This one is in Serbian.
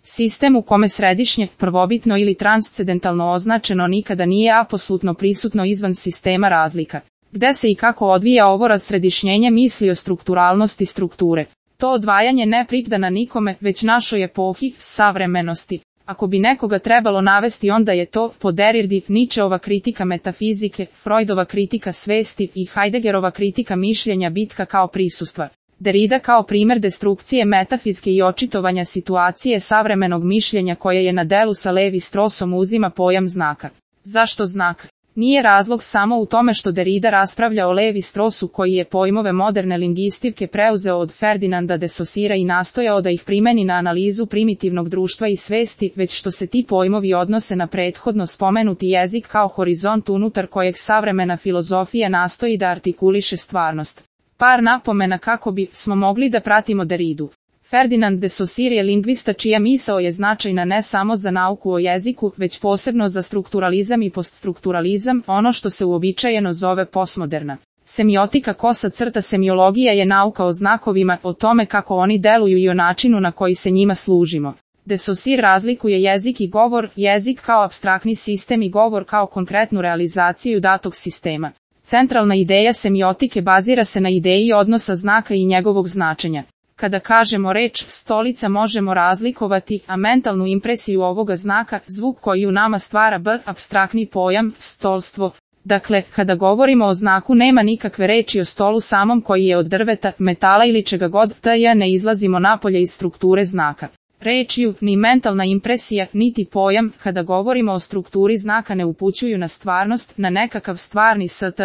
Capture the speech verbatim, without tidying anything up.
Sistem u kome središnje, prvobitno ili transcendentalno označeno nikada nije apsolutno prisutno izvan sistema razlika. Gde se i kako odvija ovo razsredišnjenje misli o strukturalnosti strukture? To odvajanje ne pripada nikome, već našoj epohi, savremenosti. Ako bi nekoga trebalo navesti, onda je to, po Derridi, Nietzscheova kritika metafizike, Freudova kritika svesti i Heideggerova kritika mišljenja bitka kao prisustva. Derrida kao primer destrukcije metafizike i očitovanja situacije savremenog mišljenja koje je na delu sa Levi-Strausom uzima pojam znaka. Zašto znak? Nije razlog samo u tome što Derrida raspravlja o Levi-Strausu koji je pojmove moderne lingvistike preuzeo od Ferdinanda de Saussura i nastojao da ih primeni na analizu primitivnog društva i svesti, već što se ti pojmovi odnose na prethodno spomenuti jezik kao horizont unutar kojeg savremena filozofija nastoji da artikuliše stvarnost. Par napomena kako bi smo mogli da pratimo Derridu. Ferdinand de Saussure je lingvista čija misao je značajna ne samo za nauku o jeziku, već posebno za strukturalizam i poststrukturalizam, ono što se uobičajeno zove postmoderna. Semiotika kosa crta semiologija je nauka o znakovima, o tome kako oni deluju i o načinu na koji se njima služimo. De Saussure razlikuje jezik i govor, jezik kao apstraktni sistem i govor kao konkretnu realizaciju datog sistema. Centralna ideja semiotike bazira se na ideji odnosa znaka i njegovog značenja. Kada kažemo reč stolica možemo razlikovati, a mentalnu impresiju ovoga znaka, zvuk koji u nama stvara b, apstraktni pojam, stolstvo. Dakle, kada govorimo o znaku nema nikakve reči o stolu samom koji je od drveta, metala ili čega god, t ne izlazimo napolje iz strukture znaka. Rečju, ni mentalna impresija, niti pojam, kada govorimo o strukturi znaka ne upućuju na stvarnost, na nekakav stvarni st.